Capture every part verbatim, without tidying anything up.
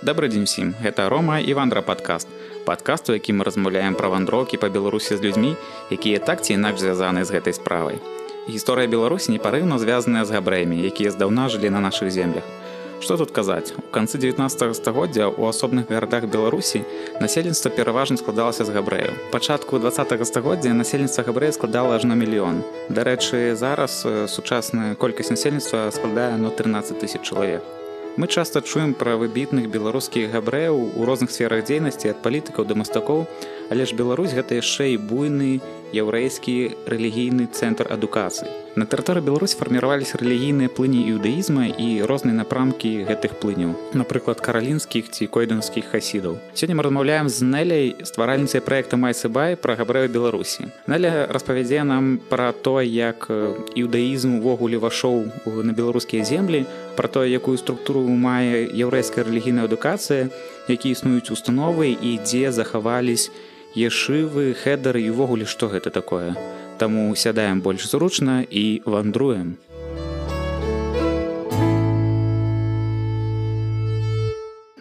Добрый дзень усім, гэта Рома і Вандра падкаст. Падкаст, у якім мы размаўляем пра вандроўкі па Беларусі з людзьмі, якія так ці інакш звязаны з гэтай справай. Гісторыя Беларусі непарыўна звязаная з габрэямі, якія здаўна жылі на нашых землях. Што тут казаць? У канцы дзевятнаццатага стагоддзя ў асобных гарадах Беларусі насельніцтва пераважна складалася з габрэяў. Пачатку дваццатага стагоддзя насельніцтва габрэяў складала аж на мільён. Дарэчы, зараз сучасная колькасць насельніцтва складае на трынаццаць тысяч чалавек. Мы часта чуем пра выбітных беларускіх габрэяў у розных сферах дзейнасці ад палітыкаў да мастакоў, але ж Беларусь гэта яшчэ і буйны яўрэйскі рэлігійны цэнтр адукацыі. На тэрыторыі Беларусі фарміраваліся рэлігійныя плыні іудаізма і розныя напрамкі гэтых плыняў, напрыклад, каралінскіх ці койданскіх хасідаў. Сёння мы размаўляем з Нэляй, стваральніцай праекта Майсыбай пра габрэяў Беларусі. Нэля распавядзе нам пра тое, як іудаізм увогуле вайшоў на беларускія землі, пра тое, якую структуру мае яўрэйская рэлігійная адукацыя, якія існуюць установы і дзе захавались ешывы, хедары і ўвогуле што гэта такое. Таму сядаем больш зручна і вандруем.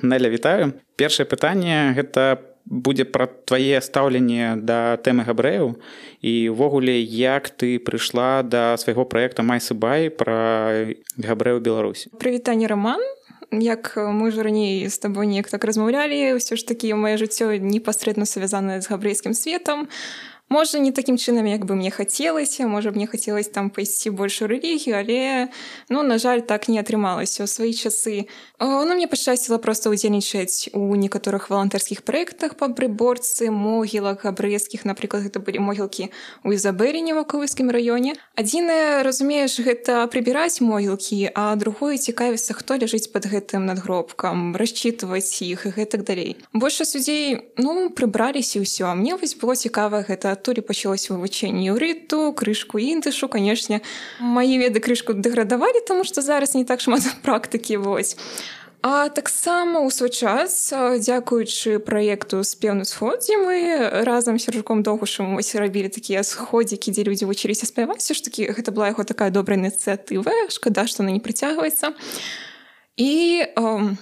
Нэля, вітаю. Першае пытанне гэта будзе пра твае стаўленне да тэмы габрэяў і ўвогуле як ты прыйшла да свайго праекта Майсыбай пра габрэяў Беларусі. Прывітанне, Роман. Як мы ж раней з табой неяк так размаўлялі, ўсё ж такі маё жыццё непасрэдна звязанае з габрэйскім светам. Можа, не такім чынам, як бы мне хацелася, можа, мне хацелася там пайсці больш у рэлігію, але, ну, на жаль, так не атрымалася. У свае часы ну, мне пашчасціла проста ўдзельнічаць у некаторых валантарскіх праектах па прыборцы могілак габрэйскіх, напрыклад, гэта былі могілкі ў Ізабеліне ў Вакавыскім раёне. Адзінае, разумееш, гэта прыбіраць могілкі, а другое цікавіцца, хто ляжыць пад гэтым надгробкам, расчытваць іх і гэтак далей. Большасць людзей, ну, прыбраліся і ўсё, а мне вось было цікава гэта. Адтуль пачалося вывучэнне іўрыту, крышку індышу. Канешне, мае веды крышку дэградавалі, таму што зараз не так шмат практыкі вось. А таксама ў свой час, дзякуючы праекту «Спеўны сход», дзе мы разам з Сяржуком Догушам рабілі такія сходзікі, дзе людзі вучыліся спяваць, ж такі гэта была яго такая добрая ініцыятыва, шкада, што она не прыцягваецца. І э,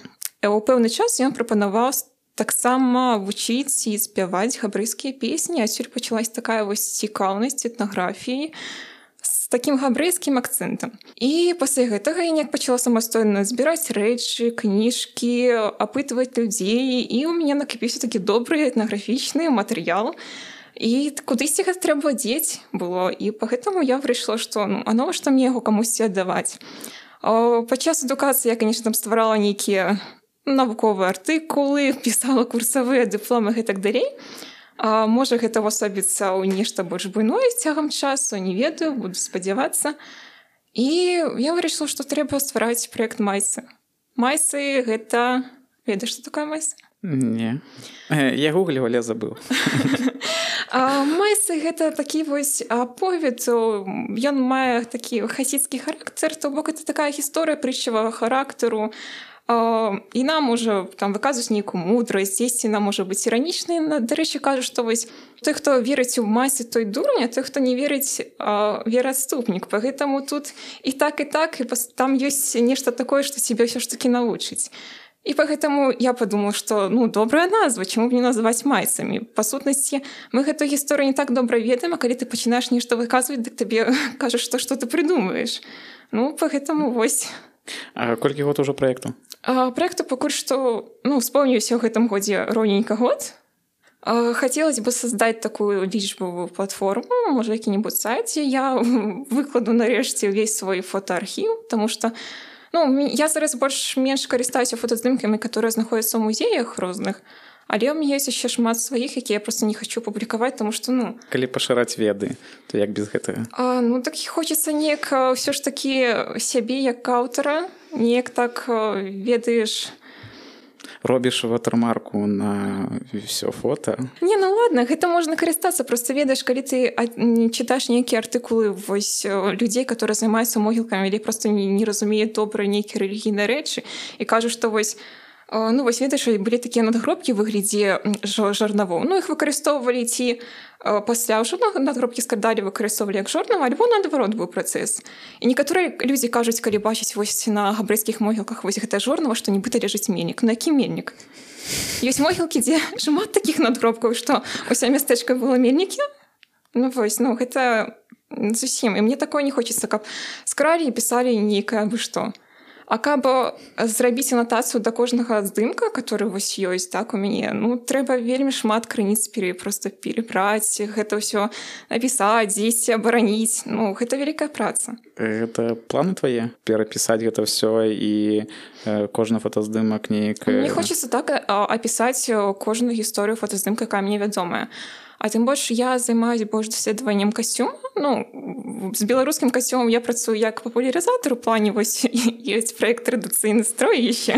у пэўны час ён прапанаваў таксама вучыць і спяваць габрэйскія песні. Адсюль пачалась такая вось цікаўнасць этнаграфіі з такім габрэйскім акцэнтам. І пасля гэтага я неяк пачала самастойна збіраць рэчы, кніжкі, апытваць людзей, і ў мяне накапіўся такі добры этнаграфічны матэрыял. І кудысьці гэта трэба дзець было. І па гэтаму я вырашыла, што ну, а навошта мне яго камусьці аддаваць. Падчас адукацыі я, канешне, там стварала нейкія навуковыя артыкулы, пісала курсавыя дыпломы і так далей. А, можа, гэта ўвасобіцца ў нешта больш буйное з цягам часу, не ведаю, буду спадзявацца. І я вырашыла, што трэба ствараць праект Майсы. Майсы гэта... Ведаеш, што такое Майсы? Не. Я гугліў, але забыў. Майсы гэта такі вось аповед, ён мае такі хасідскі характар, то бок гэта такая гісторыя прытчавага характару. І нам можа там выказваць нейкую мудрасць, дзесьці нам можа быць іранічнай. Дарэчы, кажу, што вось той, хто верыць у Майсы, той дурань, а той, хто не верыць, вераадступнік. Пагэтаму тут і так, і так, і там ёсць нешта такое, што цябе ўсё ж такі навучыць. І пагэтаму я падумала, што ну, добрая назва, чаму б не называць Майсамі. Па сутнасці, мы гэту гісторыю не так добра ведаем, а калі ты пачынаеш нешта выказваць, дык табе кажаш, што што ты прыдумаеш. Ну, пагэтаму вось. А колькі год ужо праекту? А, праекту пакуль што, ну, спомніўся ў гэтым годзе роўненька год. А, хацелось бы создаць такую лічбавую платформу, можа, які-небудзь сайт, дзе я выкладу нарэшце ўвесь свой фотоархіў, таму што ну, я зараз больш-менш карыстаюся фотаздымкамі, которые знаходзяцца ў музеях розных, але ў мяне ёсць яшчэ шмат сваіх, якія я проста не хачу публікаваць, таму што, ну... Калі пашыраць веды, то як без гэтага? А, ну, так хочацца неяк ўсё ж такі сябе як аўтара, неяк так ведаеш... Робіш ватэрмарку на ўсё фота? Не, ну ладно, гэта можна карыстацца, проста ведаеш, калі ты чытаеш нейкія артыкулы вось людзей, которые займаюцца могілкамі, или проста не, не разумеюць добра нейкія рэлігійныя рэчы, і кажуць, што вось Ну, вось ведаеш, былі такія надгробкі ў выглядзе жарнавоў. Ну, іх выкарыстоўвалі ці пасля ўжо надгробкі складалі, выкарыстоўвалі як жорнава, альбо наадварот быў працэс. І некаторыя людзі кажуць, калі бачаць вось на габрэйскіх могілках вось гэта жорнава, што нібыта ляжыць мельнік. На які мельнік? Ёсць могілкі, дзе шмат такіх надгробкаў, што ўся мястэчка было мельнікі. Ну, вось, ну, гэта зусім. І мне такое не хочацца, каб скралі і пісалі нейкае абы што. А каб зрабіць анатацыю да кожнага здымка, который вось ёсць, так, у мяне, ну, трэба вельмі шмат крыніц пере, просто перебраць, гэта ўсё напісаць, дзесьці абараніць. Ну, гэта вялікая праца. Гэта планы твае? Перапісаць гэта ўсё і э, кожны фотаздымак неяк... Мне хочацца так апісаць кожную гісторыю фотаздымка, якая мне вядомая. А тым больш я займаюсь больш даследаваннем касцюма. Ну, з беларускім касцюмам я працую як папулярызатар у плане, вось ёсць праект традыцыйны строй яшчэ,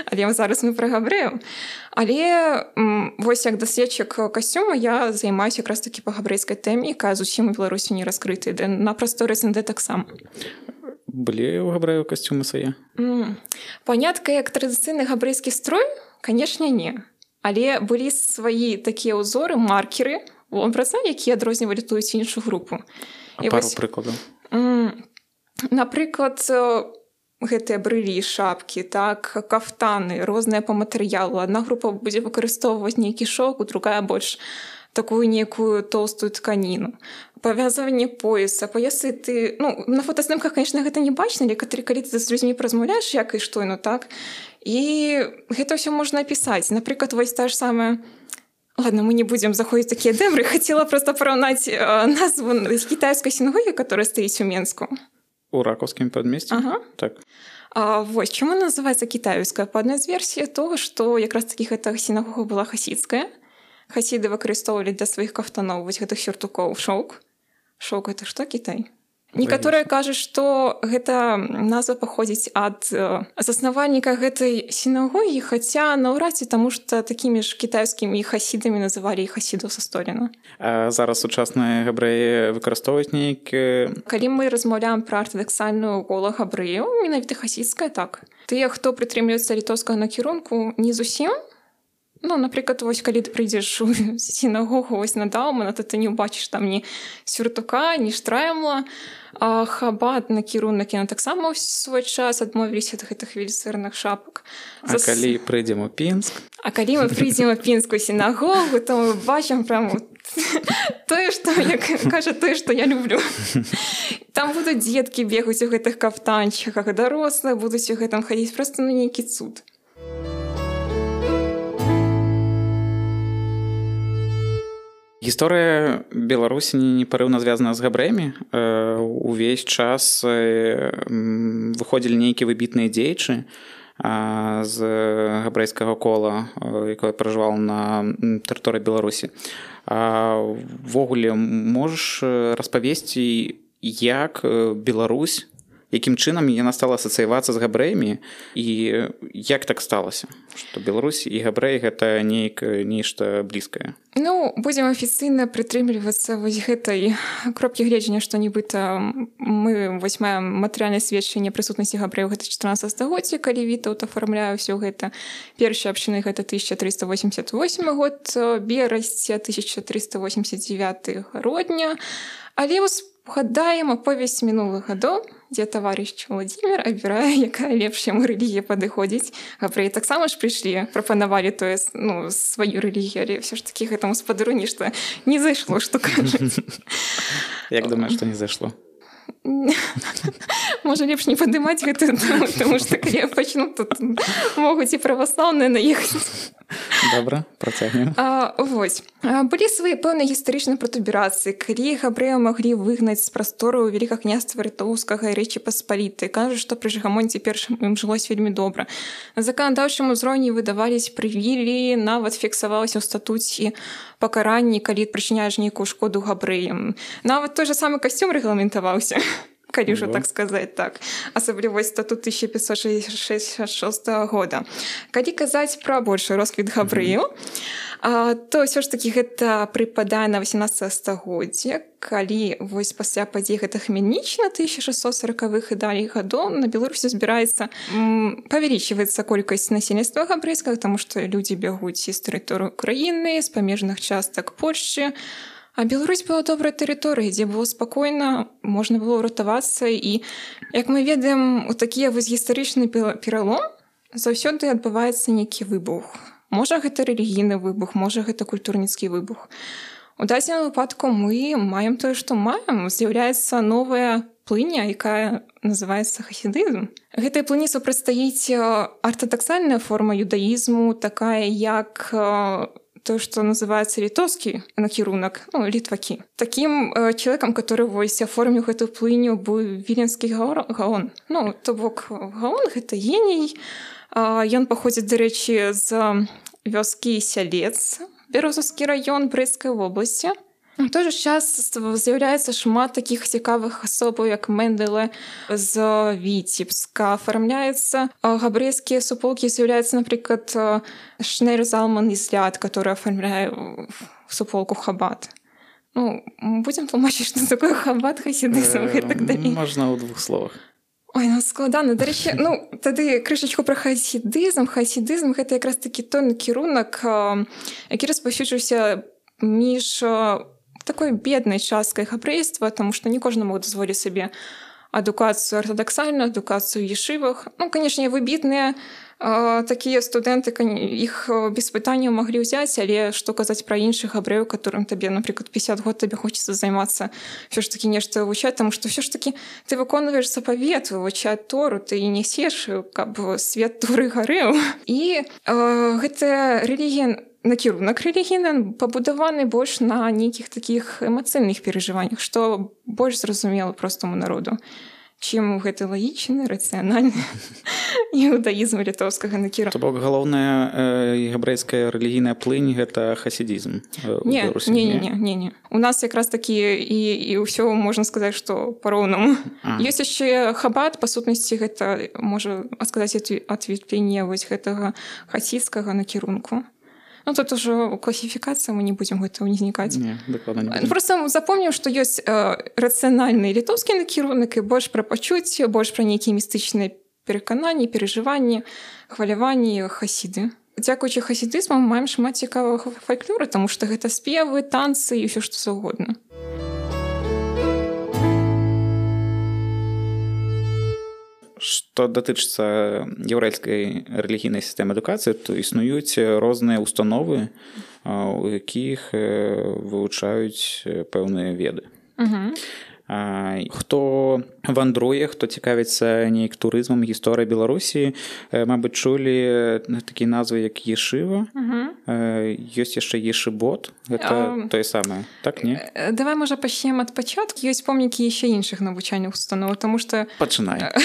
але зараз мы пра габрэяў. Але вось як даследчык касцюма я займаюся якраз такі па габрэйскай тэме, якая зусім у Беларусі не раскрыта, на прасторы СНД таксама. Былі ў габрэяў касцюмы свае? Mm. Панятка як традыцыйны габрэйскі строй, канешне, не. Але былі свае такія ўзоры, маркеры, вобразы, якія адрознівалі тую ці іншую групу. А і пару вось, прыкладаў? Напрыклад, гэтыя брылі, шапкі, так, кафтаны, розныя па матэрыялу. Адна група будзе выкарыстоўваць нейкі шоўк, другая больш такую некую тоўстую тканіну. Павязванне пояса, поясы ты... Ну, на фотаздымках, конечно, гэта не бачна, але калі ты з людзьмі празмаўляеш, як і што, ну так. І гэта ўсё можна апісаць. Напрыклад, вось та ж самая... Ладно, мы не будзем заходзіць такія дэмры. Хацела проста параўнаць э, назву кітайскай сінагогі, которая стаіць у Менску. У ракаўскім падмесці? Ага. Так. А, вось, чаму называецца кітайская? Па адной з версій того, што якраз такі гэта сінагога была хасідская. Хасіды выкарыстоўвалі для сваіх кафтаноў вось гэтых сюртукоў шоўк. Шоўк — гэта што, Кітай? Некаторыя кажуць, што гэта назва паходзіць ад э, заснавальніка гэтай сінагогі, хаця наўрад ці, таму што такімі ж кітайскімі хасідамі называлі і хасідаў са Століна. А зараз сучасныя габрэі выкарыстоўваюць нейкі... Калі мы размаўляем пра артадаксальную кола габрэяў, менавіта хасідская, так. Тыя, хто прытрымліваецца літоўскага накірунку, не зусім. Ну, напрыклад, вось, калі ты прыйдзеш у сінагогу вось на Даўмана, то ты не ўбачыш там ні сюртука, ні штраймла. А хабат накірунак яны таксама ў свой час адмовіліся ад гэтых велізарных шапак. А Зас... калі прыйдзем у Пінск? А калі мы прыйдзем у пінскую сінагогу, то мы бачым прям тое, што, як кажа, тое, што я люблю. Там будуць дзеткі бегаць у гэтых кафтанчыках, дарослыя будуць у гэтым хадзіць, проста ну нейкі цуд. Гісторыя Беларусі непарыўна звязана з габрэямі. Увесь час выходзілі нейкія выбітныя дзеячы з габрэйскага кола, якое пражывала на тэрыторыі Беларусі. Ввогуле, можаш распавесці, як Беларусь, якім чынам яна стала асацыявацца з габрэямі і як так сталася, што Беларусь і габрэі гэта неяк нешта блізкае? Ну, будзем афіцыйна прытрымлівацца вось гэтай кропкі гледжання, што нібыта мы вось маем матэрыяльнае сведчанне прысутнасці габрэяў гэта чатырнаццатае стагоддзя, калі Вітаўт афармляе ўсё гэта. Першыя абшчыны гэта тысяча трыста восемьдесят восьмы год, берасця тысяча трыста восемьдесят девяты грудня. Але вось угадаем аповесць мінулых гадоў, дзе таварыш Владзімір абірае, якая лепш яму рэлігія падыходзіць. Габрэі таксама ж прыйшлі, прапанавалі тое, ну, сваю рэлігію, але ўсё ж такі гэтаму спадару нешта не зайшло, што кажуць. Як думаеш, што не зайшло? Можа, лепш не падымаць гэтую тэму, таму што калі я пачну, тут могуць і праваслаўныя наехаць. Добра, працягнем. А, вось. А, былі свае пэўныя гістарычныя пратуберацыі, калі габрэяў маглі выгнаць з прастору Великакняства Літоўскага і Рэчы Паспалітай. Кажуць, што пры Жыгамонце першым ім жылось вельмі добра. На заканадаўчым узроўні выдавались прывілеі, нават фіксавалася ў статуце пакаранні, калі прычыняеш нейкую шкоду габрэям. Нават той же самы касцюм рэгламентаваўся. Калі ўжо так сказаць, так. Асабліва статут тысяча пятьсот шестьдесят шестого года. Калі казаць пра большы росквіт габрэяў, а, то ўсё ж такі гэта прыпадае на восемнадцатае стагоддзе, калі вось пасля падзей гэта Хмельніччына тысяча шестьсот сороковых і далей гадоў на Беларусі збіраецца м, павялічваецца колькасць насельніцтва габрэйскага, таму што людзі бягуць з тэрыторыі Украіны, з памежных частак Польшчы. А Беларусь была добрай тэрыторыяй, дзе было спакойна, можна было ўратавацца. І, як мы ведаем, у такія вось гістарычны пералом заўсёды адбываецца нейкі выбух. Можа, гэта рэлігійны выбух, можа, гэта культурніцкі выбух. У дадзеным выпадку мы маем тое, што маем. З'яўляецца новая плыня, якая называецца хасідызм. Гэтай плыні супрацьстаіць артадаксальная форма юдаізму, такая як то, што называецца літоўскі накірунак, ну, літвакі. Такім э, чалавекам, который вось аформіў гэту плыню, быў віленскі гаон. Ну, то бок гаон — гэта геній. Э, ён паходзіць, дарэчы, з вёскі Сялец, Бярозаўскі раён Брэсцкай вобласці. У той жа час з'яўляецца шмат такіх цікавых асобаў, як Мендэле з Віцебска. Афармляецца габрэйскія суполкі, з'яўляецца, напрыклад, Шнейр Залман Ізляд, который афармляе суполку Хабат. Ну, будзем тлумачыць, што такое Хабат, хасідызм і так далей. Можна ў двух словах. Ой, ну складана. Дарэчы, ну, тады крышачку пра хасідызм. Хасідызм — гэта якраз такі той накірунак, які распаўсюджваўся між такой беднай часткай габрэйства, таму што не кожны мог дазволіць сабе адукацыю артадаксальную, адукацыю ў ешывах. Ну, канешне, выбітныя э, такія студэнты, іх без пытання маглі ўзяць, але што казаць пра іншых габрэяў, которым табе, напрыклад, пятьдесят год табе хочацца займацца ўсё ж такі нешта вывучаць, таму што ўсё ж такі ты выконваеш запавет, вывучаць Тору, ты і несеш, каб свет Торы гарэў. І э, гэтая рэлігія, накірунак рэлігійны пабудаваны больш на нейкіх такіх эмацыйных перажываннях, што больш зразумела простаму народу, чым гэты лагічны, рацыянальны іудаізм літоўскага накірунка. То бок галоўная э, габрэйская рэлігійная плынь — гэта хасідызм. Э, не, не, не, не, не. У нас якраз такі і, і ўсё можна сказаць, што па-роўнаму. Ёсць яшчэ Хабат, па сутнасці гэта можа сказаць адветвленне вось гэтага хасідскага накірунку. Ну, тут уже класіфікацыя, мы не будзем гэта ўзнікаць. Не, дакладна не будзем. Просто запомнім, што ёсць э, рацыянальны літоўскі накірунак, і больш пра пачуцці, больш пра нейкія містычныя перакананні, перажыванні, хваляванні хасіды. Дзякуючы хасідызму мы маем шмат цікавага фальклора, таму што гэта спевы, танцы і ўсё што заўгодна. Што датычыцца яўрэйскай рэлігійнай сістэмы адукацыі, то існуюць розныя установы, у якіх вывучаюць пэўныя веды. Угу. Хто вандруе, хто цікавіцца нейк турызмам, гісторыяй Беларусі, мабыць, чулі такія назвы, як ешыва. Угу. Ёсць яшчэ ешыбот. Гэта а... тое самае, так, не? Давай, можа, пачнем ад пачатку. Ёсць помнікі яшчэ іншых навучальных устаноў, таму што... Пачынай.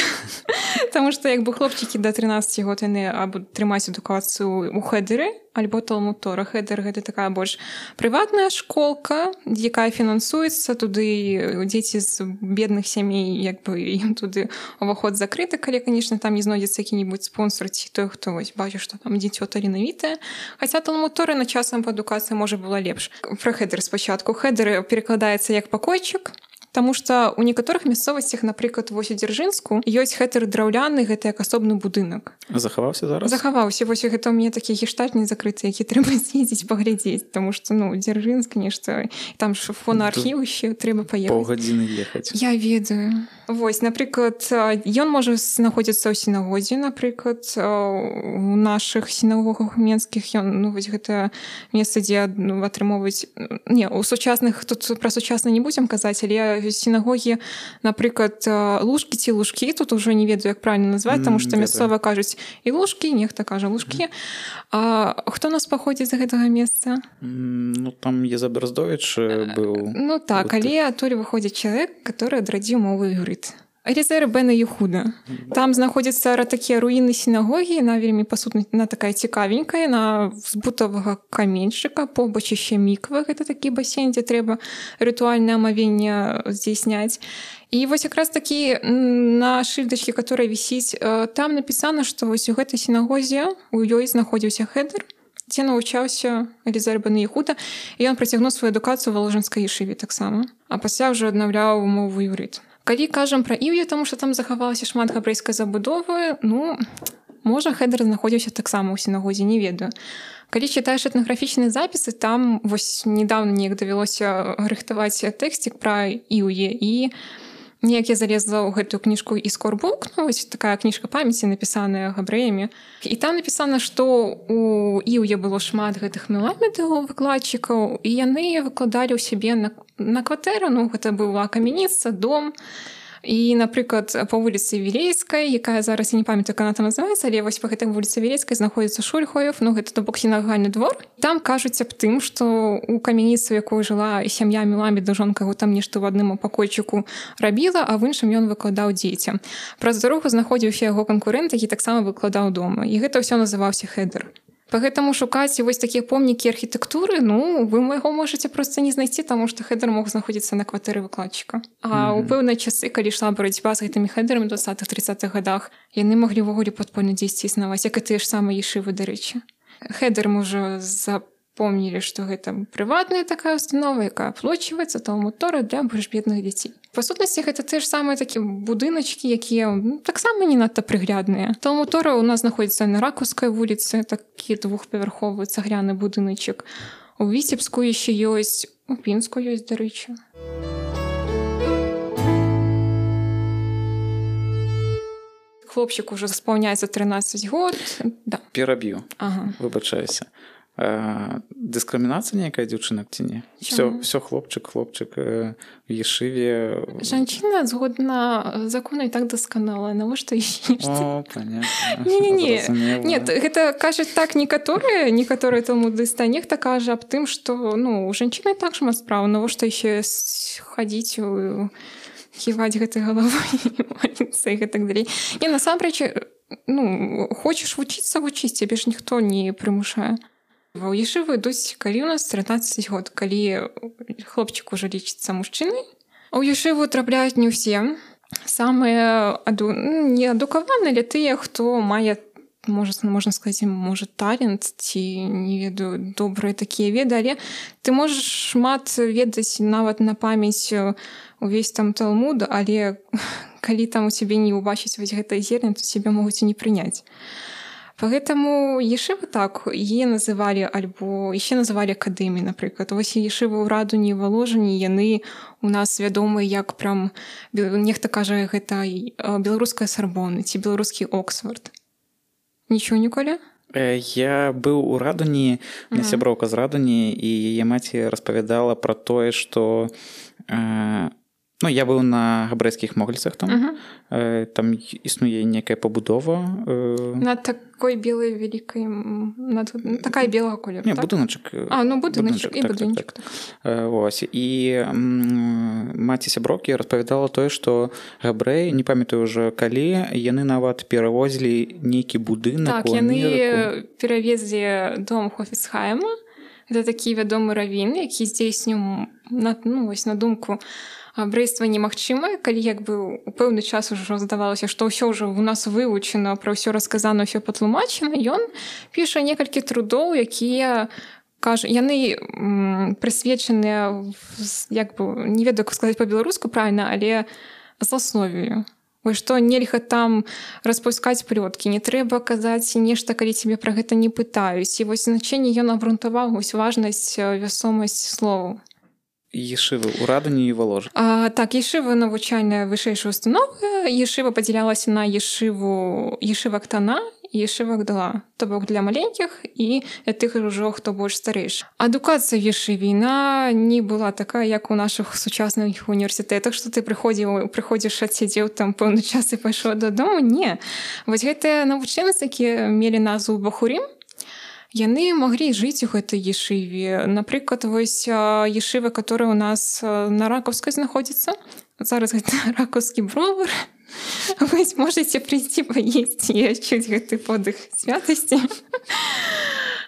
Таму што, як бы, хлопчыкі да трынаццаці год яны або трымаюць адукацыю ў хедэры, альбо Талмуд Тора. Хедэр — гэта такая больш прыватная школка, якая фінансуецца, туды дзеці з бедных сямей, як бы, ім туды уваход закрыты, калі, канешне, там не знойдзецца які-небудзь спонсор ці той, хто вось бачыць, што там дзіцё таленавітае. Хаця Талмуд Тора на часам па адукацыі можа была лепш. Пра хедэр спачатку. Хедэр перакладаецца як пакойчык, таму што ў некаторых мясцовасцях, напрыклад, вось у Дзяржынску, ёсць хедэр драўляны, гэта як асобны будынак. Захаваўся зараз? Захаваўся. Вось гэта ў мяне такі гештальт не закрыты, які трэба з'ездзіць паглядзець, таму што, ну, Дзяржынск, нешта, там ж фонаархіў яшчэ трэба паехаць. Паўгадзіны ехаць. Я ведаю. Вось, напрыклад, ён можа знаходзіцца ў сінагозе, напрыклад, у нашых сінагогах менскіх, ён, ну, вось гэта месца, дзе, ну, атрымоўваюць... Не, у сучасных, тут пра сучасна не будзем казаць, але сінагогі, напрыклад, лужкі ці лужкі, тут ужо не ведаю, як правильно назваць, таму што мясцова кажуць і лужкі, нехта кажа лужкі. А хто у нас паходзіць з гэтага месца? Ну, там Езаберздовіч быў. Ну так, але адтуль выходзіць чалавек, который адрадзіў мову іврыт. Элізера бен Єхуда. Там знаходзяцца такія руіны сінагогі, яна вельмі, па сутнасці, яна такая цікавенькая, яна з бутавага каменьчыка, побач яшчэ міква, гэта такі басейн, дзе трэба рытуальнае амавенне здзейсняць. І вось якраз такі на шыльдачке, которая вісіць, там напісана, што вось у гэтай сінагозе у ёй знаходзіўся хедэр, дзе навучаўся Элізар бен Ехуда, і ён працягнуў сваю адукацыю ва Воложанскай ешыве таксама, а пасля ўжо аднаўляў мову іўрыт. Калі кажам пра Іўе, таму што там захавалася шмат габрэйскай забудовы, ну, можа, Хедер знаходзіўся таксама ў сінагозе, не ведаю. Калі чытаеш этнаграфічныя запісы, там вось недавно неяк давялося рыхтаваць тэксцік пра Іўе, і неяк я залезла ў гэтую кніжку «Іскорбук», ну, вось такая кніжка памяці, напісаная габрэямі. І там напісана, што у Іўе было шмат гэтых меламедаў, выкладчыкаў, і яны выкладалі ў сябе на, на кватэру, ну, гэта была камяніца, дом. І, напрыклад, па вуліцы Вілейскай, якая зараз, я не памятаю, як яна там называецца, але вось па гэтай вуліцы Вілейскай знаходзіцца Шульхоев, ну, гэта, то бок, сінагальны двор. Там кажуць аб тым, што ў камяніцы, у якой жыла сям'я Меламеда, жонка яго там нешта ў адным пакойчыку рабіла, а в іншым ён выкладаў дзецям. Праз дарогу знаходзіўся яго канкурэнт, які таксама выкладаў дома. І гэта ўсё называўся Хедер. Пагэтаму шукаць вось такія помнікі архітэктуры, ну, вы яго можаце проста не знайсці, таму што Хедер мог знаходзіцца на кватэры выкладчыка. А ў пэўныя часы, калі ішла барацьба з гэтымі Хедерамі ў дваццатых-трыццатых гадах, яны маглі ўвогуле падпольна дзесьці існаваць, як і тыя ж самыя ешывы, дарэчы. Хедер мы ўжо запомнілі, што гэта прыватная такая установа, якая аплочваецца талмуд-тора для больш бедных дзяцей. Па сутнасці, гэта те ж самыя такія будыначкі, якія ну, таксама не надта прыглядныя. Талмуд-тора ў нас знаходзіцца на Ракаўскай вуліцы, такі двухпавярховы цагляны будыначак. У Віцебску яшчэ ёсць, у Пінску ёсць, дарэчы. Хлопчык ужо спаўняецца трынаццаць год. Да. Пераб'ю. Ага. Выбачаюся. А, дыскрымінацыя нейкая дзяўчынак ці не? Всё, всё хлопчык, хлопчык у ешыве. Жанчына згодна закону і так дасканалая. Навошта яшчэ нешта? О, понятно. Не-не-не. Нет, гэта кажуць так некаторыя, некаторыя талмудысты, а нехта кажа аб тым, што ну, у жанчыны так шмат справ, навошта яшчэ хадзіць у ківаць гэтай галавой і маліцца і гэтак далей. Не, насамрэч, ну, хочаш вучыцца, вучыць, цябе ж ніхто не прымушае. У ешывы ідуць, калі ў нас трынаццаць год, калі хлопчык ужо лічыцца мужчынай. У ешыву трапляюць не ўсе. Самыя аду... неадукаваныя, але тыя, хто мае, можа, можна сказаць, можа, талент ці, не ведаю, добрыя такія веды, але ты можаш шмат ведаць нават на памяць увесь там талмуд, але калі там у цябе не ўбачыць вось гэтай зерня, то цябе могуць і не прыняць. Поэтому ешивы так, яе называлі альбо яшчэ называлі акадэміяй, напрыклад. Вось ешивы ў Радуні, Воложані, яны у нас вядомыя як прям, нехта кажа, гэта беларуская Сарбона ці беларускі Оксфорд. Нічого ніколі? Я быў у Радуні, у меня сяброўка з Радуні, і яе маці распавядала пра тое, што э, ну, я быў на габрэйскіх могільцах там. Uh-huh. Э, там існуе некая пабудова. Э... На такой белай вялікай... На... Такая белага колеру, Не, так? будыначак. А, ну будыначак і так, будынчык. Так, так. Э, вось. І м, маці сяброўкі распавядала тое, што габрэі, не памятаю ўжо калі, яны нават перавозілі нейкі будынак так, у Амерыку. Так, яны перавезлі дом Хофіцхайма. Гэта такі вядомы равін, які здзейсніў на, ну, вось, на думку габрэйства немагчыма, калі як бы у пэўны час ужо здавалася, што ўсё ўжо у нас вывучана, пра ўсё расказана, ўсё патлумачана, ён піша некалькі трудоў, якія кажа, яны м, прысвечаныя як бы, не ведаю, як сказаць па-беларуску правільна, але зласловію. Вось што нельга там распускаць плёткі, не трэба казаць нешта, калі цябе пра гэта не пытаюць. І вось значэнне ён абгрунтаваў вось важнасць, вясомасць словаў. Ешивы ў Радуні і Воложані. А, так, ешива навучальная вышэйшая установа. Ешива падзялялася на ешиву ешива Актана і ешива Агдала. То бок для маленькіх і для тых ужо, хто больш старэйшы. Адукацыя в ешиве, яна не была такая, як у нашых сучасных універсітэтах, што ты прыходзіў, прыходзіш, адсядзеў там пэўны час і пайшоў дадому. Не. Вось гэтыя навучэнцы, якія мелі назву Бахурім, яны маглі жыць у гэтай ешыве. Напрыклад, вось ешыва, которая у нас на Ракаўскай знаходзіцца. Зараз гэта ракаўскі бровар. Вось можаце прыйсці паесці і адчуць гэты подых святасці.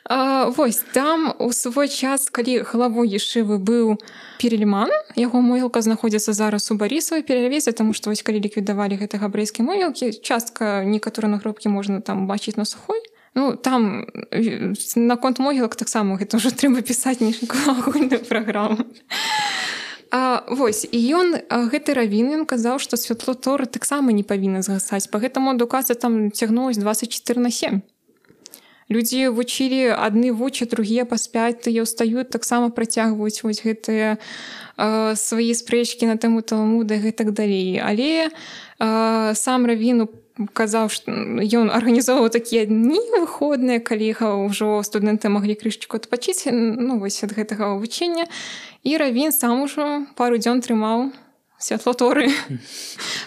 А, вось там у свой час, калі главой ешывы быў Перельман, яго могілка знаходзіцца зараз у Барысавай перавезе, таму што вось калі ліквідавалі гэты габрэйскі могілкі, частка некаторыя нагробкі можна там бачыць на Сухой. Ну, там наконт могілак таксама гэта ўжо трэба пісаць нейкую агульную праграму. А, вось, і ён, гэты равін, ён казаў, што святло Торы таксама не павінна згасаць. Па гэтаму адукацыя там цягнулась дваццаць чатыры на сем. Людзі вучылі адны вучаць, другія паспяць, тыя ўстаюць, таксама працягваюць вось гэтыя э, свае спрэчкі на тэму Талмуда і гэтак далей. Але э, сам равін казаў, што ён арганізоўваў такія дні выходныя, калі ўжо студэнты маглі крышчыку адпачыць, ну, вось ад гэтага вучення. І равін сам ужо пару дзён трымаў святло Торы,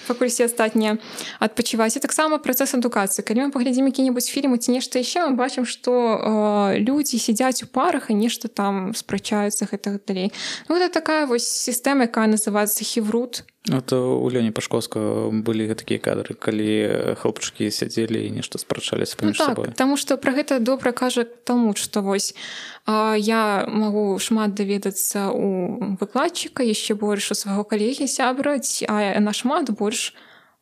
пакуль все астатнія адпачываць. І таксама працэс адукацыі. Калі мы паглядзім які-небудзь фільм ці нешта яшчэ, мы бачым, што э, людзі сядзяць у парах і нешта там спрачаюцца гэтага далей. Ну, гэта такая вось сістэма, якая называецца хіврут. Это у Лёні Пашковскага былі такія кадры, калі хлопчыкі сядзелі і нешта спрачаліся паміж ну, так, сабой. Таму што пра гэта добра кажа Талмуд, што вось а, я магу шмат даведацца у выкладчыка, яшчэ больш у свайго калегі сябра, а нашмат больш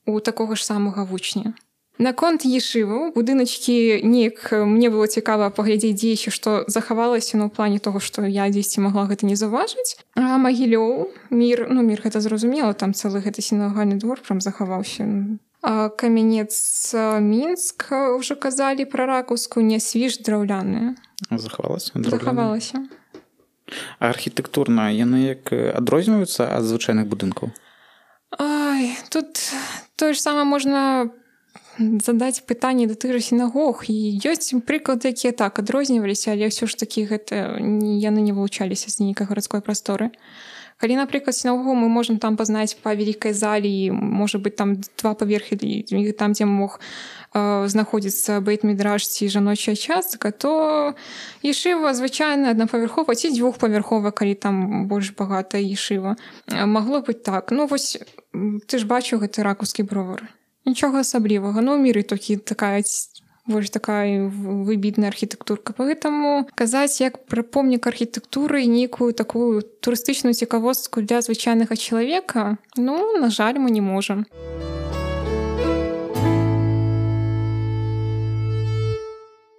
у такога ж самага вучня. Наконт ешываў, будыначкі неяк мне было цікава паглядзець дзеючы, што захавалася, ну, ў плане того, што я дзесьці магла гэта не заўважыць. А Магілёў, мір, ну, мір гэта зразумела, там цэлы гэты сінагагальны двор прям захаваўся. А Камянец Мінск, ўжо казалі пра Ракаўскую, Нясвіж драўляная. Захавалася? Захавалася. А архітэктурна яны як адрозніваюцца ад звычайных будынкаў? Ай, тут тое ж самае можна задаць пытанне да тых жа сінагог. І ёсць прыклады, якія так адрозніваліся, але ўсё ж такі гэта яны не вылучаліся з нейкай гарадской прасторы. Калі, напрыклад, сінагогу мы можам там пазнаць па вялікай залі, можа быць там два паверхі, там, дзе мог э, знаходзіцца бейт-мідраж ці жаночая частка, то ешыва звычайна аднапавярхова ці дзвюхпавярхова, калі там больш багатая ешыва. Магло быць так. Ну вось ты ж бачыў гэты ракаўскі бровар. Нічога асаблівага. Ну, ў міры толькі такая больш такая выбітная архітэктурка. Поэтому казаць як пра помнік архітэктуры нейкую такую турыстычную цікавостку для звычайнага чалавека, ну, на жаль, мы не можам.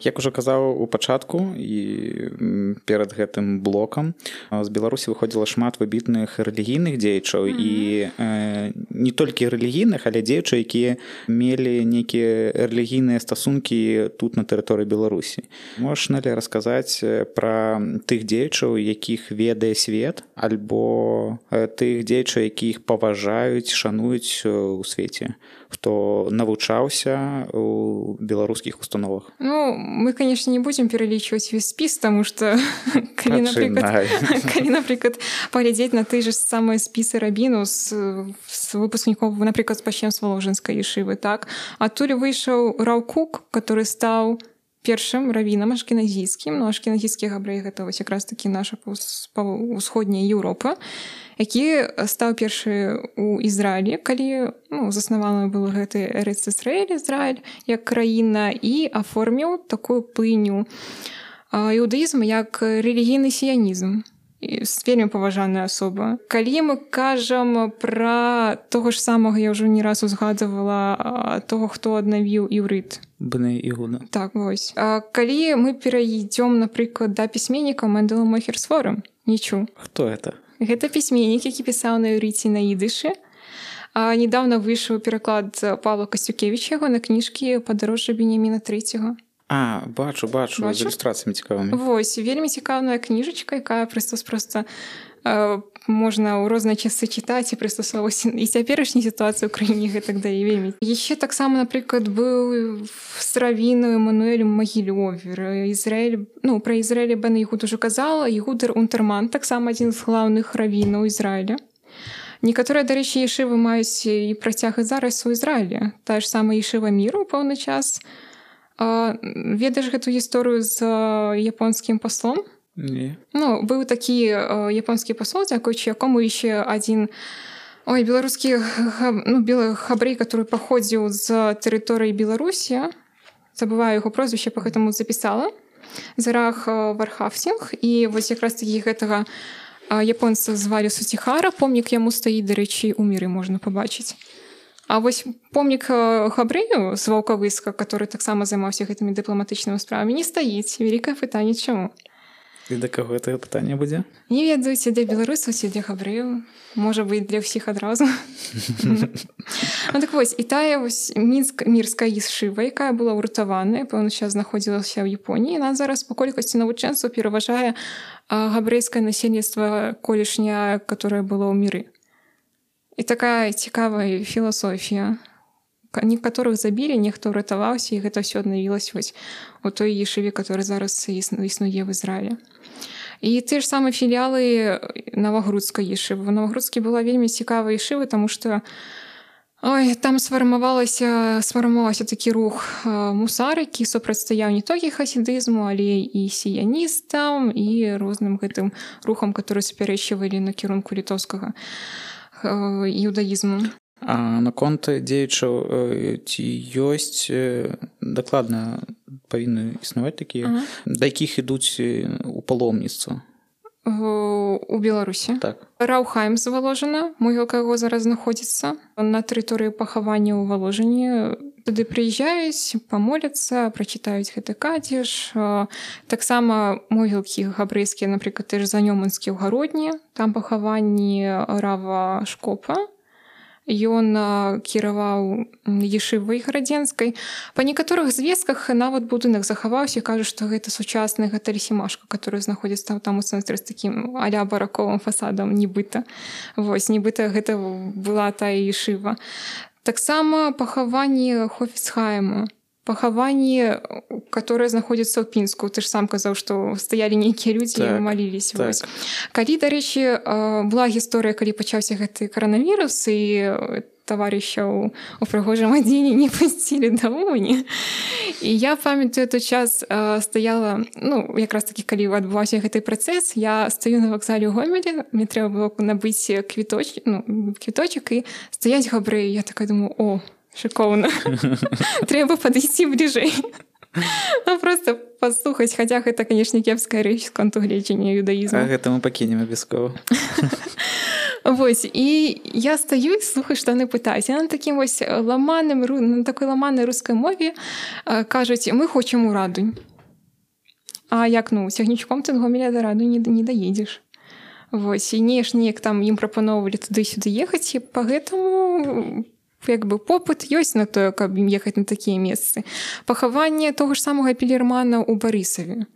Як ужо казаў у пачатку і перад гэтым блокам, з Беларусі выходзіла шмат выбітных рэлігійных дзеячаў mm-hmm. і э, не толькі рэлігійных, але дзеячаў, якія мелі нейкія рэлігійныя стасункі тут на тэрыторыі Беларусі. Можаш, Нэлі, расказаць пра тых дзеячаў, якіх ведае свет, альбо тых дзеячаў, якіх паважаюць, шануюць у свеце, хто навучаўся у беларускіх установах? Ну, мы, конечно, не будем перелічваць весь спіс, тому што калі, напрыклад, калі, напрыклад, паглядзець на той же самыя спісы рабіну з, з выпускніков, напрыклад, пачнем з Воложенскай ешывы, так? Адтуль выйшаў Рав Кук, который стаў першым равінам ашкеназійскім, ну, ашкеназійскі габрэй гэта вось якраз такі наша ўсходняя Еўропа, які стаў першы ў Ізраілі, калі ну, заснаваны быў гэты Эрец Ісраэль, Ізраіль, як краіна, і аформіў такую плыню іудаізму, як рэлігійны сіянізм. Вельмі паважаная асоба. Калі мы кажам пра того ж самага, я ўжо не раз узгадывала, того, хто аднавіў іўрыт. Бней Игуда. Так, вось. А калі мы перайдём, напрыклад, да пісьменніка Мендела Мохерсфора, нічу. Хто это? Гэта пісьменнік, які пісаў на іўрыце на ідышы. А недавно выйшаў пераклад Павла Касцюкевіча яго на кніжкі «Падарожжа Беньяміна трэцяга». А, бачу, бачу, бачу? З ілюстрацыямі цікавымі. Вось, вельмі цікавая кніжачка, якая проста-проста э, можна ў розныя часы чытаць і прыстасоўваць і цяперашняй сітуацыі ў краіне гэтак да і вельмі. Яшчэ таксама, напрыклад, быў з равіну Эммануэлем Магілёвер. Ізраэль, ну, пра Ізраэль Бен Ігуд ужо казала, Ігудер Унтерман, таксама адзін з главных равінаў Ізраіля. Некаторыя, дарэчы, ешывы маюць і працяг і зараз у Ізраілі. Тая ж самая ешыва міру ў пэўны час. А, ведаеш гэту гісторыю з японскім паслом? Не. Ну, быў такі японскі пасол, дзякуючы якому яшчэ адзін ой, беларускі ну, белы хабрэй, который паходзіў з тэрыторыі Беларусі, забываю яго прозвішча, па гэтаму запісала, Зарах Вархавсінг, і вось якраз такі гэтага японца звалі Сусіхара, помнік яму стаіць, дарэчы, у міры можна пабачыць. А вось помнік габрэю з Ваўкавыска, который таксама займаўся гэтымі дыпламатычнымі справамі, не стаіць. Вялікае пытанне, чаму? І да каго гэта пытанне будзе? Не ведаю, ці для беларусаў, ці для габрэяў. Можа быць, для ўсіх адразу. Ну так вось, і тая вось мінск-мірская ешыва, якая была ўратаваная, пэўны час знаходзілася ў Японіі, яна зараз па колькасці навучэнцаў пераважае габрэйскае насельніцтва колішняе, которое было ў міры. І такая цікавая філасофія. Некаторых забілі, нехто ўратаваўся, і гэта ўсё аднавілася вось у той ешыве, который зараз існуе в Ізраілі. І ты ж самыя філіялы Навагрудскай ешывы. У Навагрудскі была вельмі цікавая ешыва, таму што ой, там сфармавалася, сфармаваўся такі рух мусар, які супрацьстаяў не толькі хасідызму, але і сіяністам, і розным гэтым рухам, которые супярэчвалі накірунку літоўскага іудаізму. А наконт дзеячаў ці ёсць дакладна павінны існаваць такія, ага. Да якіх ідуць у паломніцтва? У Беларусі. Так. Раухайм з Валожына, могілка яго зараз знаходзіцца на тэрыторыі пахавання ў Валожыні. Туды прыязджаюць, памоляцца, прачытаюць гэты кадзеж. Таксама могілкі габрэйскія, напрыклад, ты ж Занёманскі ў Гародні, там пахаванні Рава Шкопа. Ён кіраваў ешывай гарадзенскай. Па некаторых звестках нават будынак захаваўся, кажуць, што гэта сучасны гатэль Сімашка, который знаходзіцца там у цэнтры з такім а-ля бараковым фасадам, нібыта. Вось, нібыта гэта была тая ешыва. Таксама пахаванні Хофіцхайма. Пахаванні, которые знаходзяцца ў Пінску. Ты ж сам казаў, што стаялі нейкія людзі і так, маліліся. Так. Калі, дарэчы, была гісторыя, калі пачаўся гэты каранавірус, і таварышаў у прыгожым адзенні не пусцілі да ўні. І я памятаю, той час стаяла, ну, якраз такі, калі адбываўся гэты працэс, я стаю на вакзале ў Гомелі, мне трэба было набыць квіточ, ну, квіточак і стаяць габрэі. Я такая думаю, о, шикоўна. Трэба падысці бліжэй. Ну, просто паслухаць, хаця гэта, канешне, кепская рэч з конту гледжання іудаізму. А гэта мы пакінем абавязкова. Вось, і я стаю і слухаю, што яны пытаюць. Я на такім вось ламаным, на такой ламанай рускай мове кажуць, мы хочам у Радунь. А як, ну, цягнічком ты з Гомеля да Радунь не, не даедзеш. Вось, і неж неяк там ім прапаноўвалі туды-сюды ехаць, і па гэтаму як бы попыт ёсць на тое, каб ім ехаць на такія месцы. Пахаванне того ж самага Пілермана ў Барысаве.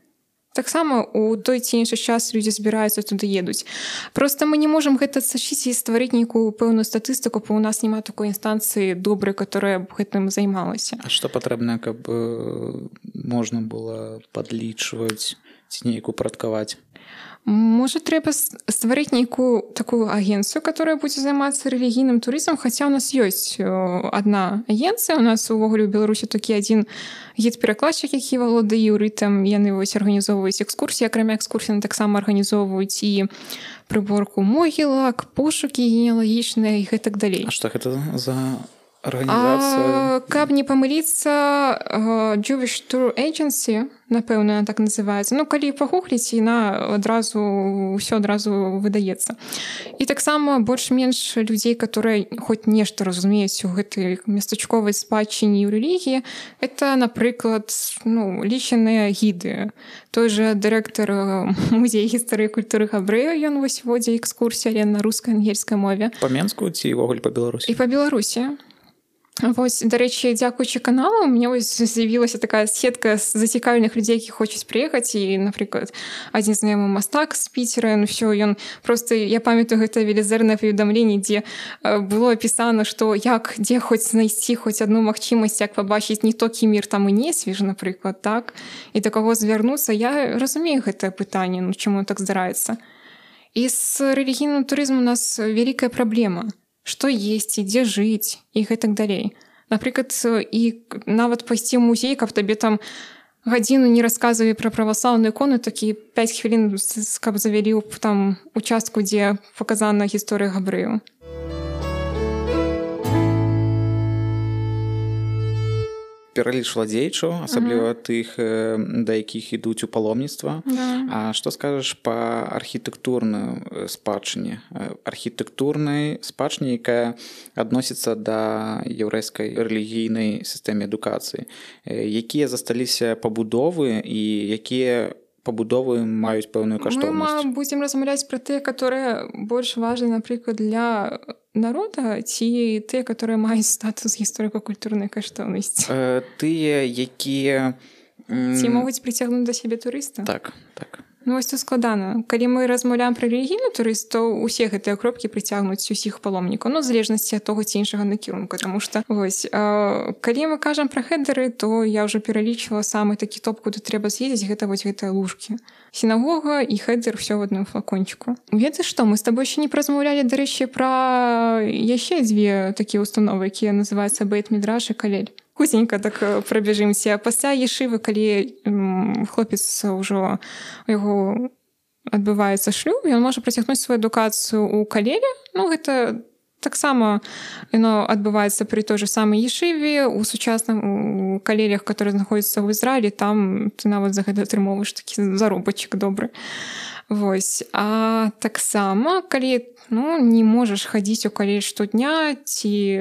Таксама у той ці іншы час людзі збіраюцца туды едуць. Просто мы не можам гэта сачыць і стварыць нейкую пэўную статыстыку, бо ў нас няма такой інстанцыі добрай, которая б гэтым займалася. А што патрэбна, каб можна было падлічваць ці неяк упарадкаваць? Можа, трэба стварыць нейкую такую агенцыю, которая будзе займацца рэлігійным турызмам, хаця ў нас ёсць адна агенцыя. У нас увогуле ў Беларусі такі адзін гід-перакладчык, які валодае іўрытам. Яны вось арганізоўваюць экскурсіі, акрамя экскурсій, таксама арганізоўваюць і прыборку могілак, пошукі генеалагічныя і гэтак далей. А што гэта за арганізацыя? А, каб не памыліцца, Jewish Tour Agency, напэўна, так называецца. Ну, калі пагугліць, яна адразу, ўсё адразу выдаецца. І таксама больш-менш людзей, которые хоць нешта разумеюць у гэтай местачковай спадчыне і ў рэлігіі, это, напрыклад, ну, лічаныя гіды. Той жа дырэктар музея гісторыі і культуры габрэяў, ён вось водзе экскурсіі, але на рускай, ангельскай мове. Па-менску ці ўвогуле па-беларусі? І па-беларусі. Вось, дарэчы, дзякуючы каналу, у мяне з'явілася такая сетка з зацікаўленых людзей, які хочуць прыехаць. І, напрыклад, адзін знаёмы мастак з Піцера, ну ўсё, ён просто, я памятаю, гэта велізарнае паведамленне, дзе было апісана, што як, дзе хоць знайсці хоць адну магчымасць, як пабачыць не толькі мір там і не свеж, напрыклад, так, і да каго звярнуцца. Я разумею гэтае пытанне, ну чаму так здараецца. І з рэлігійным турызмам у нас вялікая праблема. Што есці, дзе жыць і гэтак далей. Напрыклад, і нават пайсці ў музей, каб табе там гадзіну не расказвалі пра праваслаўную ікону, такі пяць хвілін, каб завялі ў там участку, дзе паказана гісторыя габрэяў. пералічвала дзеячаў, асабліва uh-huh. тых, да якіх ідуць у паломніцтва. Да. А што скажаш па архітэктурнай спадчыне? Архітэктурнай спадчыне, якая адносіцца да яўрэйскай рэлігійнай сістэмы адукацыі. Якія засталіся пабудовы і якія пабудовы маюць пэўную каштоўнасць? Мы будзем размаўляць пра тыя, которые больш важны, напрыклад, для народа, ці тыя, которые маюць статус гісторыка-культурнай каштоўнасці? Э, тыя, якія... Ці могуць прыцягнуць да сябе турыста? Так, так. Ну, вось тут складана. Калі мы размаўляем пра рэлігійны турыст, то ўсе гэтыя кропкі прыцягнуць усіх паломнікаў, ну, в залежнасці ад того ці іншага накірунку. Таму што, вось, э, калі мы кажам пра хедеры, то я ўжо пералічвала самы такі топ, куды трэба з'ездзіць, гэта вось гэтыя лужкі. Сінагога і хедер ўсё в адным флакончику. Ведаеш што, мы з табой ще не празмаўлялі, дарэчы, пра яшчэ дзве такія установы, якія называюцца Бейт-Мідраш і Калель. Хутенька так прабежымся. Пасля ешывы, калі хлопец ўжо у яго адбываецца шлюб, ён можа працягнуць сваю адукацыю ў Калеле. Ну, гэта таксама яно адбываецца пры той же самай ешыве, у сучасным у Калелях, которые знаходзяцца ў Ізраілі, там ты нават за гэта атрымоўваеш такі заробачак добры. Вось. А таксама, калі ну, не можаш хадзіць у Калель штодня, ці,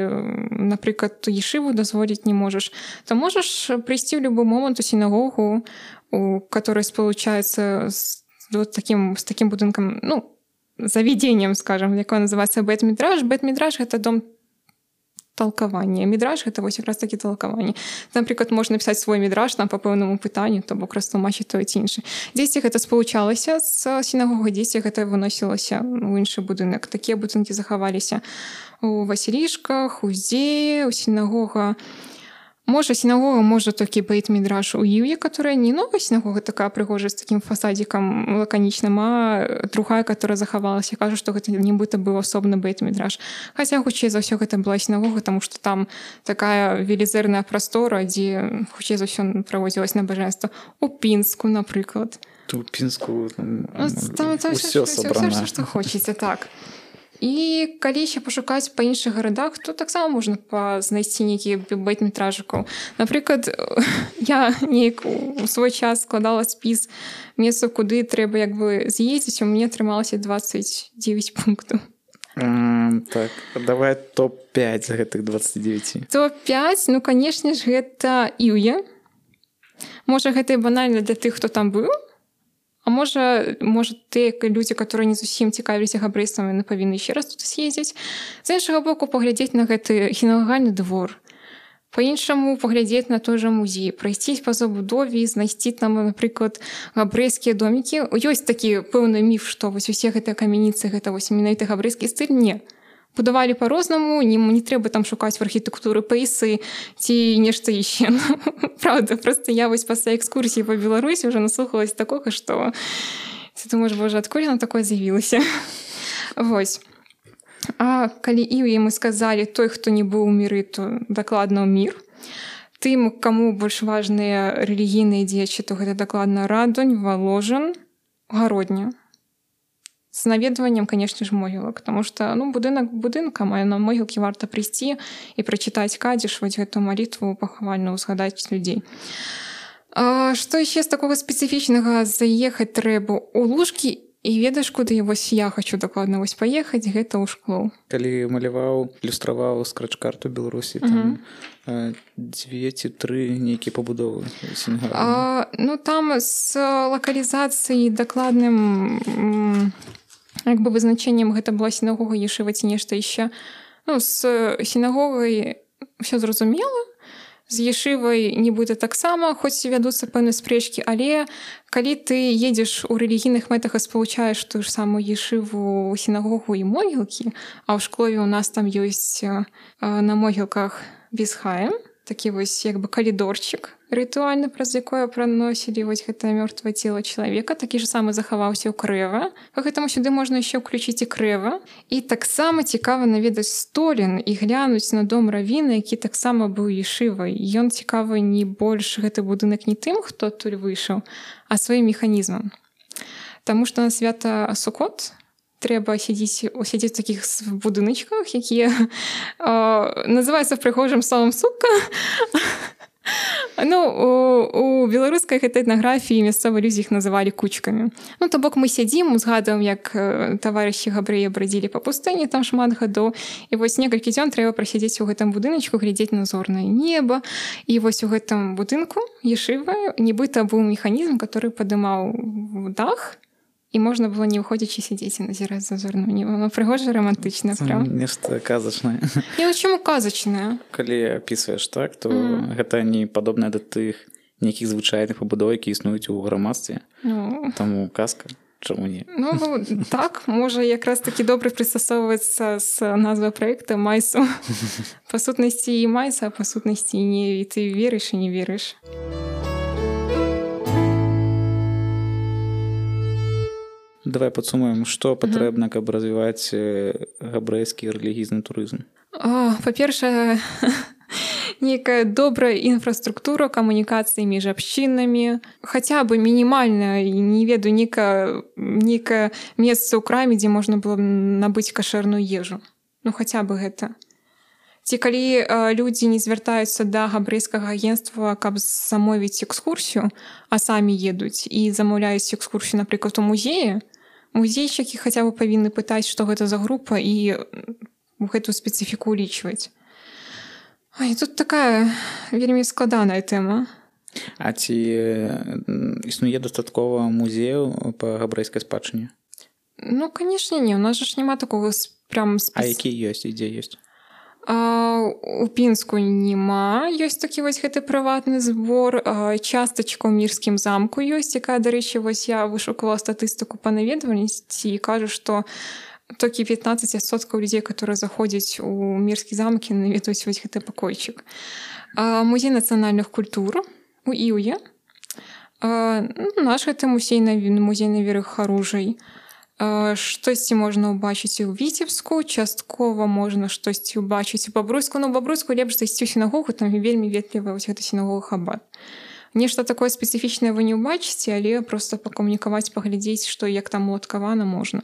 напрыклад, ешыву дазволіць не можаш, то можаш прыйсці ў любы момант у сінагогу, у которой спалучаецца з, вот, таким, з таким будынкам, ну, заведением, скажем, якое называецца Бейт-Мідраш. Бейт-Мідраш — гэта дом толкавання. Мідраш — гэта вось якраз такі толкаванне. Напрыклад, можна напісаць свой мідраш там па пэўнаму пытанню, то бок растлумачыць тое ці інше. Дзесьці гэта спалучалася з сінагогай, дзесьці гэта выносілася ў іншы будынак. Такія будынкі захаваліся у Васілішках, у Здзеі, у сінагога. Можа, сінагога, можа толькі Бейт-Мідраш у Іўе, которая не новая сінагога, такая прыгожая, з такім фасадзікам лаканічным, а другая, которая захавалася. Кажу, што гэта нібыта быў асобны Бейт-Мідраш. Хаця, хутчэй за ўсё, гэта была сінагога, таму што там такая велізэрная прастора, дзе, хутчэй за ўсё, праводзілася набажэнства. У Пінску, напрыклад. У Пінску там, там, там усё сабрана. Усё, што хочаце, так. І калі ще пашукаць па іншых гарадах, то таксама можна знайсці нейкія бейт-мітражыкаў. Напрыклад, я неяк у свой час складала спіс месцаў, куды трэба як бы з'ездзіць, у мяне атрымалася двадцать девять пунктаў. А, так, давай топ пять з гэтых двадцати девяти. топ пять, ну, канешне ж, гэта Іўе. Можа, гэта і банальна для тых, хто там быў. А можа, можа тыя людзі, которые не зусім цікавіліся габрэйствам, яны павінны яшчэ раз тут з'ездзіць. З іншага боку, паглядзець на гэты сінагагальны двор. Па-іншаму паглядзець на той жа музей, прайсцісь па забудове і знайсці там, напрыклад, габрэйскія домікі. Ёсць такі пэўны міф, што вось усе гэтыя камяніцы, гэта вось менавіта габрэйскі стыль. Не. Будавалі па-рознаму, не, не трэба там шукаць в архітэктуры пейсы ці нешта яшчэ. Правда, просто я вось пасля экскурсіі па Беларусі ўжо наслухалась такога, што ты думаеш, боже, адкуль яно такое з'явілася? Вось. А калі Іўе мы сказалі, той, хто не быў у міры, то дакладна ў мір. Тым, каму больш важныя рэлігійныя дзеячы, то гэта дакладна Радонь, Воложин, Гародня. З наведваннем, конечно ж, могілак, тому што ну, будынак будынкам, а на могілкі варта прыйсці і прачытаць кадзіш, вось гэту малітву пахавальную, узгадаць людзей. А, што яшчэ з такога спецыфічнага? Заехаць трэба ў Лужкі, і ведаеш, куды вось я хочу дакладна вось паехаць, гэта ў Шклоў. Калі маляваў, ілюстраваў скрач-карту Беларусі, там uh-huh. дзве ці тры нейкія пабудовы сінагагальныя. Ну, там з лакалізацыяй дакладным як бы вызначэннем гэта была сінагога, ешыва ці нешта яшчэ. Ну, з сінагогай ўсё зразумела, з ешывай нібыта таксама, хоць вядуцца пэўныя спрэчкі, але калі ты едзеш у рэлігійных мэтах і спалучаеш тую ж самую ешыву, сінагогу і могілкі, а ў Шклове у нас там ёсць на могілках Бесхаем, такі вось як бы калідорчык рытуальны, праз якое праносілі вось гэтае мёртвае цела чалавека, такі ж самы захаваўся ў Крэва. Гэтаму сюды можна яшчэ ўключыць і Крэва. І таксама цікава наведаць Столін і глянуць на дом равіна, які таксама быў ешывай. Ён цікавы не больш гэты будынак не тым, хто адтуль выйшаў, а сваім механізмам. Таму што на свята Сукот трэба сядзіць сядзець у такіх будыначках, якія называюцца прыгожым словам сука. Ну, у, у беларускай гэтай этнаграфіі мясцовыя людзі іх называлі кучкамі. Ну, то бок мы сядзім, узгадваем, як таварышы габрэі брадзілі па пустыні там шмат гадоў, і вось некалькі дзён трэба прасядзець у гэтым будыначку, глядзець на зорнае неба. І вось у гэтым будынку ешыва нібыта быў механізм, который падымаў дах, і можна было не выходзячы сядзець і назіраць за зорным небам. Ну, прыгожа, рамантычна, правда? Нешта казачнае. Не, ну чаму казачнае? Калі апісваеш так, то mm. гэта не падобнае да тых нейкіх звычайных пабудоў, які існуюць у грамадстве. Ну... Таму казка. Чаму не? Ну, так, можа якраз такі добра прыстасоўваецца з назвай праекта «Майсу». Па сутнасці і майса, а па сутнасці і не. І ты верыш і не верыш. Давай падсумуем, што патрэбна, каб развіваць габрэйскі рэлігійны турызм. О, па-першае, нейкая добрая інфраструктура камунікацыі між абшчынамі, хаця бы мінімальна, не ведаю, нейкае нейкае месца ў краме, дзе можна было набыць кашэрную ежу. Ну, хаця бы гэта. Ці калі э, людзі не звяртаюцца да габрэйскага агенцтва, каб замовіць экскурсію, а самі едуць і замаўляюць экскурсію, напрыклад, у музеі, музейчыкі хаця бы павінны пытаць, што гэта за група, і гэтую спецыфіку улічваць. Ай, тут такая вельмі складаная тэма. А ці існуе дастаткова музеяў па габрэйскай спадчыне? Ну, канешне, не. У нас ж няма такога прям спец... А які ёсць і дзе ёсць? А, у Пінску няма. Ёсць такі вось гэты прыватны збор. А, частачка ў Мірскім замку ёсць, якая, дарэчы, вось я вышукала статыстыку па наведвальнасці і кажу, што толькі пятнаццаць адсоткаў людзей, которые заходзяць у Мірскі замак, наведваюць вось гэты пакойчык. А, музей нацыянальных культур у Іўе. А, ну, наш гэты музей, музей Наверы Харужай. Штосьці можна ўбачыць і ў Віцебску, часткова можна штосьці ўбачыць у Бабруйску, но ў Бабруйску лепш зайсці ў сінагогу, там вельмі ветлівая вось гэта сінагога Хабад. Нешта такое спецыфічнае вы не ўбачыце, але проста пакамунікаваць, паглядзець, што як там уладкавана можна.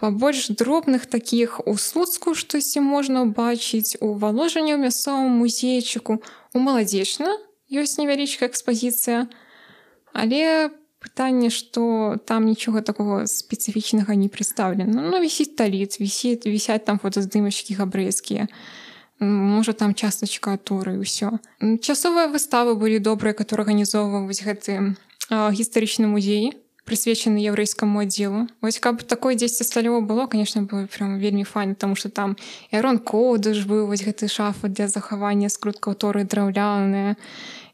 Па больш дробных такіх у Слуцку штосьці можна ўбачыць, у Валожані ў мясцовым музейчыку, у Маладзечна ёсць невялічкая экспазіцыя, але пытанне, што там нічога такого спецыфічнага не прадстаўлена. Ну, вісіць таліц, вісіць, вісяць там фотаздымачкі габрэйскія. Можа, там частачка аторы і ўсё. Часовыя выставы былі добрыя, которые арганізоўваў вось гэты а, гістарычны музей, прысвечаны яўрэйскаму аддзелу. Вось каб такое дзесьці сталёва было, конечно, было прям вельмі файна, тому што там і Арон Кодыш быў, вось гэты шафа для захавання скруткаў торы драўляныя,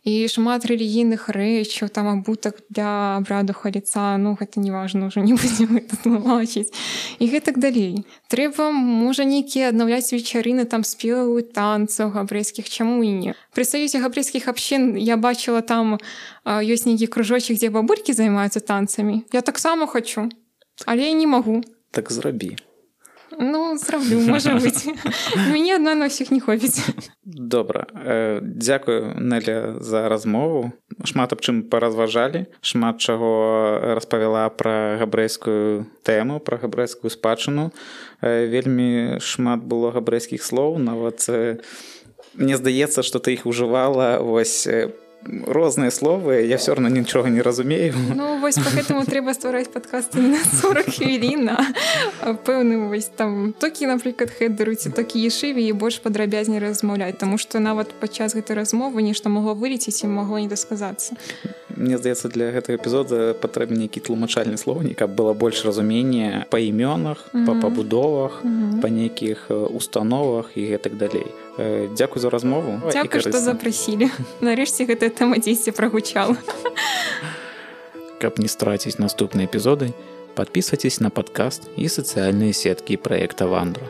і шмат рэлігійных рэчаў, там абутак для абраду халіца, ну гэта не важна, ўжо не будзем гэта тлумачыць. І гэтак далей. Трэба, можа, нейкія аднаўляць вечарыны, там спеваў і танцаў габрэйскіх, чаму і не. Пры саюзе габрэйскіх абшчын я бачыла, там а, ёсць нейкі кружочак, дзе бабулькі займаюцца танцамі. Я таксама хачу, але я не магу. Так зрабі. Ну, зраблю, можа быць. Мяне адна на ўсіх не хопіць. Добра. Дзякую, Нэля, за размову. Шмат аб чым паразважалі. Шмат чаго распавяла пра габрэйскую тэму, пра габрэйскую спадчыну. Вельмі шмат было габрэйскіх слоў. Нават мне здаецца, што ты іх ужывала вось розныя словы, я все равно нічога не разумею. Ну, вось поэтому трэба ствараць падкасты на сорок хвілін, а пэўны вось там токі, напрыклад, хедеру ці токі ешыве і больш падрабязней размаўляць, таму што нават падчас гэтай размовы нешта магло вылецець і магло не дасказацца. Мне здаецца, для гэтага эпізода патрэбны нейкі тлумачальны слоўнік, каб было больш разумення па імёнах, mm-hmm. па пабудовах, mm-hmm. па нейкіх установах і гэтак далей. Дзякуй за размову. Дзякуй, што запрасілі. Нарэшце гэтая тэма дзесьці прагучала. Каб не страціць наступныя эпізоды, подписывайтесь на подкаст и социальные сетки проекта Вандра.